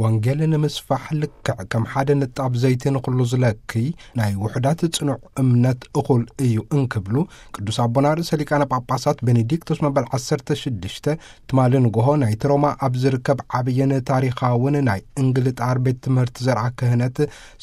ወንጌል ንምስፋሕ ልክዕ ከም ሓደ ንጣብ ዘይቲ ንኹሉ ዝለክይ ናይ ውሑዳት ጽኑዕ እምነት እኹል እዩ እንክብሉ ቅዱስ ኣቦና ርእሰ ሊቃነ ጳጳሳት ቤኔዲክቶስ መበል ዓሰርተ ሽዱሽተ ትማሊ ንግሆ ናይቲ ሮማ ኣብ ዝርከብ ዓብይን ታሪኻውን ናይ እንግልጣር ቤት ትምህርቲ ዘርዓ ክህነት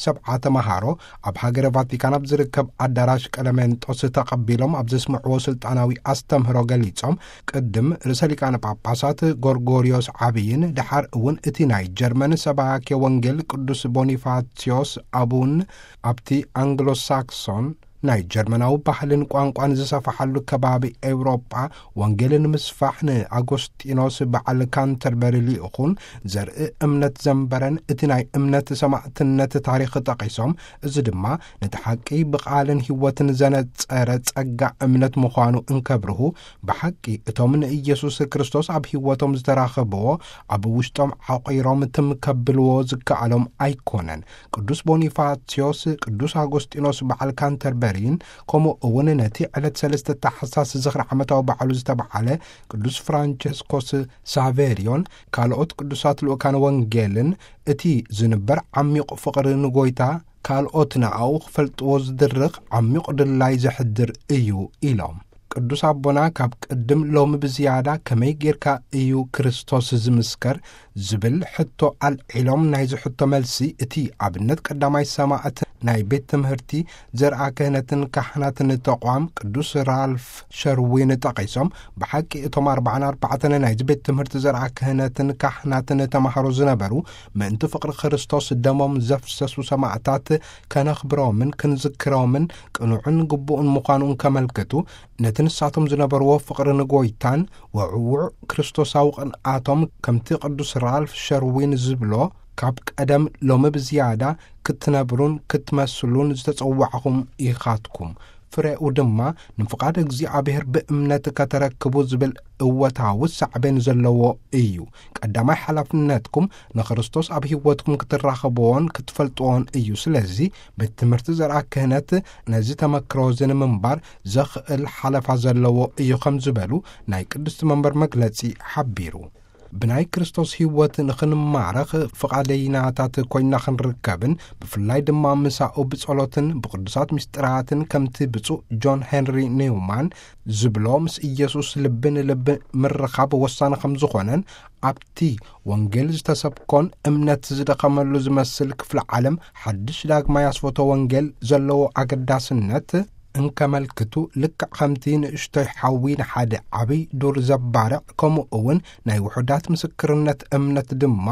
ሰብዓ ተመሃሮ ኣብ ሃገረ ቫቲካን ኣብ ዝርከብ ኣዳራሽ ቀለሜንጦስ ተቐቢሎም ኣብ ዘስምዕዎ ስልጣናዊ ኣስተምህሮ ገሊጾም፣ ቅድም ርእሰ ሊቃነ ጳጳሳት ጎርጎርዮስ ዓብይን ደሓር እውን እቲ ናይ ጀርመን ሰባኬ ወንጌል ቅዱስ ቦኒፋሲዮስ ኣቡን ኣብቲ ኣንግሎ ሳክሶን ናይ ጀርመናዊ ባህልን ቋንቋን ዝሰፍሓሉ ከባቢ ኤውሮጳ ወንጌል ንምስፋሕ ንኣጎስጢኖስ በዓል ካንተርበሪ ልኢኹን ዘርኢ እምነት ዘንበረን እቲ ናይ እምነት ሰማዕትነት ታሪኽ ጠቒሶም፣ እዚ ድማ ነቲ ሓቂ ብቓልን ህይወትን ዘነጸረ ጸጋ እምነት ምዃኑ እንከብርሁ፣ ብሓቂ እቶም ንኢየሱስ ክርስቶስ ኣብ ህይወቶም ዝተራኸብዎ ኣብ ውሽጦም ዓቒሮም ትም ከብልዎ ዝከኣሎም ኣይኮነን። ቅዱስ ቦኒፋሲዮስ፣ ቅዱስ ኣጎስጢኖስ በዓል ካንተርበሪን ከምኡ እውን ነቲ ዕለት ሰለስተ ታሕሳስ ዝኽሪ ዓመታዊ በዓሉ ዝተባዓለ ቅዱስ ፍራንቸስኮስ ሳቬሪዮን ካልኦት ቅዱሳት ልኡካን ወንጌልን እቲ ዝንበር ዓሚቕ ፍቕሪ ንጎይታ ካልኦት ንኣኡ ክፈልጥዎ ዝድርኽ ዓሚቕ ድላይ ዘሕድር እዩ ኢሎም። ቅዱስ ኣቦና ካብ ቅድም ሎሚ ብዝያዳ ከመይ ጌርካ እዩ ክርስቶስ ዝምስከር ዝብል ሕቶ ኣልዒሎም፣ ናይዚ ሕቶ መልሲ እቲ ኣብነት ቀዳማይ ሰማዕት ናይ ቤት ትምህርቲ ዘርኣ ክህነትን ካህናትን ተቋም ቅዱስ ራልፍ ሸርዊን ጠቒሶም፣ ብሓቂ እቶም ኣርባዓን ኣርባዕተን ናይዚ ቤት ትምህርቲ ዘርኣ ክህነትን ካህናትን ተማሃሮ ዝነበሩ ምእንቲ ፍቕሪ ክርስቶስ ደሞም ዘፍሰሱ ሰማዕታት ከነኽብሮምን ክንዝክሮምን ቅኑዕን ግቡእን ምዃኑ እንከመልክቱ፣ ነቲ ንሳቶም ዝነበርዎ ፍቕሪ ንጎይታን ወዕውዕ ክርስቶሳዊ ቅንኣቶም ከምቲ ቅዱስ ራልፍ ሸርዊን ዝብሎ፣ ካብ ቀደም ሎሚ ብዝያዳ ክትነብሩን ክትመስሉን ዝተጸዋዕኹም ኢኻትኩም። ፍሬኡ ድማ ንፍቓድ እግዚኣብሔር ብእምነት ከተረክቡ ዝብል እወታዊ ሳዕቤን ዘለዎ እዩ። ቀዳማይ ሓላፍነትኩም ንክርስቶስ ኣብ ህይወትኩም ክትራኸብዎን ክትፈልጥዎን እዩ። ስለዚ ቤት ትምህርቲ ዘርኣ ክህነት ነዚ ተመክሮ እዚ ንምንባር ዘኽእል ሓለፋ ዘለዎ እዩ ከም ዝበሉ ናይ ቅድስቲ መንበር መግለጺ ሓቢሩ። ብናይ ክርስቶስ ህይወት ንኽንማረኽ ፍቓደይናታት ኮይና ክንርከብን ብፍላይ ድማ ምሳኡ ብጸሎትን ብቅዱሳት ምስጢራትን ከምቲ ብፁዕ ጆን ሄንሪ ኒውማን ዝብሎ ምስ ኢየሱስ ልቢ ንልቢ ምርኻብ ወሳኒ ከም ዝኾነን ኣብቲ ወንጌል ዝተሰብኮን እምነት ዝደኸመሉ ዝመስል ክፍለ ዓለም ሓድሽ ዳግማይ ኣስፈቶ ወንጌል ዘለዎ ኣገዳስነት እንከመልክቱ፣ ልክዕ ከምቲ ንእሽቶይ ሓዊ ንሓደ ዓብይ ዱር ዘባርዕ፣ ከምኡ እውን ናይ ውሑዳት ምስክርነት እምነት ድማ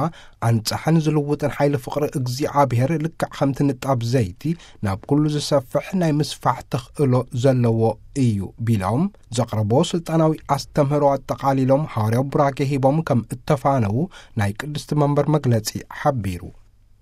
ኣንጻሕን ዝልውጥን ሓይሊ ፍቕሪ እግዚኣብሔር ልክዕ ከምቲ ንጣብ ዘይቲ ናብ ኩሉ ዝሰፍሕ ናይ ምስፋሕ ተኽእሎ ዘለዎ እዩ ቢሎም ዘቕረቦ ስልጣናዊ ኣስተምህሮ ኣጠቓሊሎም፣ ሃዋርያዊ ቡራኬ ሂቦም ከም እተፋነዉ ናይ ቅድስቲ መንበር መግለጺ ሓቢሩ።